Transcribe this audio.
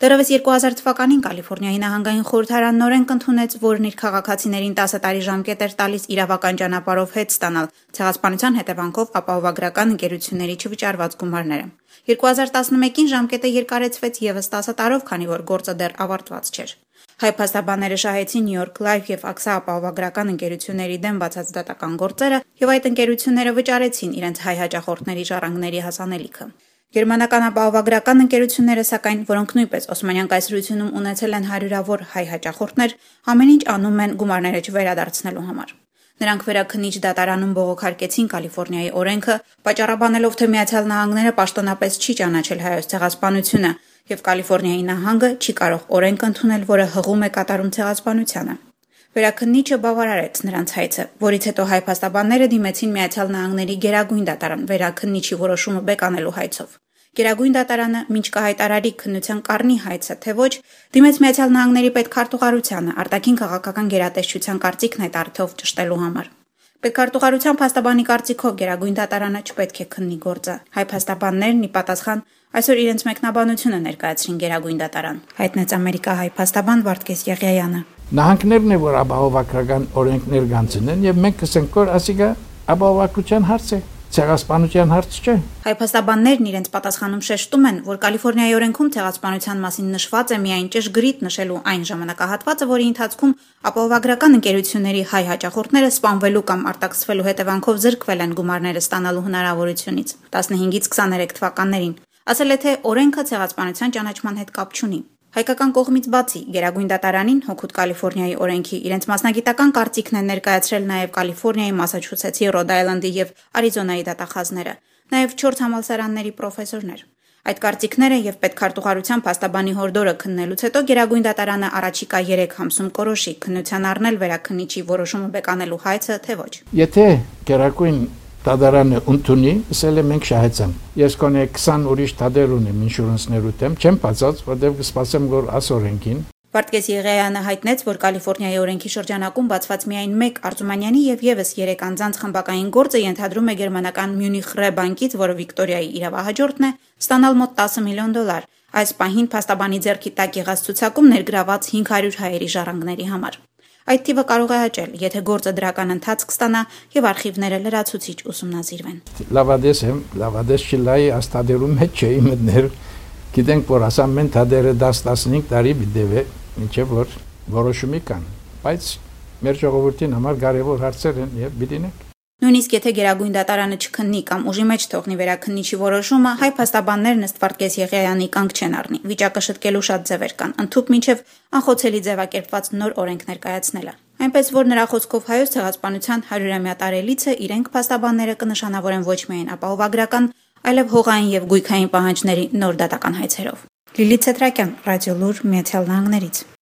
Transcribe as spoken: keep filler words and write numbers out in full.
Դեռևս երկու հազար թվականին Կալիֆորնիայի նահանգային խորհրդարանն օրենք ընդունեց, որն իր քաղաքացիներին տասը տարի ժամկետ էր տալիս իրավական ճանապարհով հետ ստանալ ցեղասպանության հետևանքով ապահովագրական ընկերությունների չվճարված գումարները։ երկու հազար տասնմեկին ժամկետը երկարեցվեց ևս տասը տարով, քանի որ գործը դեռ ավարտված չէր։ Հայ փաստաբանները շահեցին New York Life և աքսա ապահովագրական ընկերությունների դեմ բացած դատական գործերը և այդ ընկերությունները վճարեցին իրենց հայ հաճախորդների ժառանգների հասանելիքը։ Գերմանական ապահովագրական ընկերությունները, սակայն, որոնք նույնպես Օսմանյան կայսրությունում ունեցել են հարյուրավոր հայ հաճախորդներ, ամեն ինչ անում են գումարները չվերադարձնելու համար։ Նրանք վերաքննիչ դատարանում բողոքարկեցին Կալիֆորնիայի օրենքը, պատճառաբանելով, թե Միացյալ Նահանգները պաշտոնապես չի ճանաչել հայոց ցեղասպանությունը, և Կալիֆորնիայի նահանգը չի կարող օրենք ընդունել, որը հղում է կատարում ցեղասպանությանը։ Վերաքննիչը բավարարեց նրանց հայցը, որից հետո հայ փաստաբանները դիմեցին Միացյալ Նահանգների Գերագույն դատարան վերաքննիչի որոշումը բեկանելու հայցով։ Գերագույն դատարանը մինչ կհայտարարի քննության կառնի հայցը, թե ոչ, դիմեց Միացյալ Նահանգների պետքարտուղարությանը արտաքին քաղաքական գերատեսչության կարծիքն այդ առիթով ճշտելու համար։ Պետքարտուղարության փաստաբանի կարծիքով Գերագույն դատարանը չպետք է քննի գործը։ Հայ փաստաբաններն ի պատասխան այսօր իրենց մեկնաբանությունը ներկայացրին Գերագույն դատարան, հայտնեց ամերիկահայ փաստաբան Վարդգես Եղիայանը։ Նահանգներն է, որ ապահովագրական օրենքներ կանցնեն, եւ մենք կսենք, որ ասիկա ապահովագրության հարց է, ցեղասպանության հարց չէ։ Հայ փաստաբաններն իրենց պատասխանում շեշտում են, որ Կալիֆորնիայի օրենքում ցեղասպանության մասին նշված է միայն ճշգրիտ նշելու այն ժամանակահատվածը, որի ընթացքում ապահովագրական ընկերությունների հայ հաճախորդները սպանվելու կամ արտաքսվելու հետևանքով զրկվել են գումարները ստանալու հնարավորությունից տասնհինգից քսաներեք թվականներին։ Ասել է, թե օրենքը ցեղասպանության ճանաչման հետ կապ չունի։ Հայկական կողմից բացի Գերագույն դատարանին հօգուտ Կալիֆորնիայի օրենքի իրենց մասնագիտական կարծիքն են ներկայացրել նաև Կալիֆորնիայի, Մասաչուսեթսի, Ռոդ Այլանդի եւ Արիզոնայի դատախազները, նաև չորս համալսարանների պրոֆեսորներ։ Այդ կարծիքները եւ պետքարտուղարության փաստաբանի հորդորը քննելուց հետո Գերագույն դատարանը առաջիկա երեք ամսում կորոշի քննության առնել վերաքննիչի որոշումը բեկանելու հայցը, թե ոչ։ Եթե Գերագույն դատարանը ընդունի, ասել է մենք շահեցանք։ Ես կոնե քսան ուրիշ դատեր ունեմ ինշուրանսներու դեմ, չեմ բացած, որտեղ կսպասեմ, որ ասորենքին։ Վարդգես Եղիայանը հայտնեց, որ Կալիֆորնիայի օրենքի շրջանակում բացված միայն մեկ Արծումանյանի եւ եւս երեք անձանց խմբակային գործը ենթադրում է գերմանական Մյունիխ Ռե բանկից, որը Վիկտորիայի իրավահաջորդն է, ստանալ մոտ տասը միլիոն դոլար։ Այս պահին փաստաբանի ձեռքի տակ եղած ցուցակում ներգրաված հինգ հարյուր հայերի ժառանգների համար։ Այդ թիվը կարող է աճել, եթե գործը դրական ընթացք ստանա եւ արխիվները լրացուցիչ ուսումնասիրվեն։ Լավադես եմ, լավադես չլայի աստադերում հետ չէի մտներ։ Գիտենք, որ ասամեն թադերը դաս-տասնհինգ տարի բիդեվե, ինչեւ որ որոշումի կան, բայց մեր ժողովրդին համար կարևոր հարցեր են եւ բիդինենք։ Նույնիսկ եթե Գերագույն դատարանը չքննի կամ ուժի մեջ թողնի վերաքննիչի որոշումը, հայ փաստաբաններն ըստ Վարդգես Եղիայանի կանգ չեն առնի։ Վիճակը շտկելու շատ ձևեր կան, ընդհուպ մինչև անխոցելի ձևակերպված նոր օրենք ներկայացնելը։ Այնպես որ նրա խոսքով հայոց ցեղասպանության հարյուրամյա տարելիցը իրենք փաստաբանները կնշանավորեն ոչ միայն ապահովագրական, այլև հողային եւ գույքային պահանջների նոր դատական հայցերով։ Լիլիթ Ցետրակյան, Ռադիոլուր, Միացյալ Նահանգներից։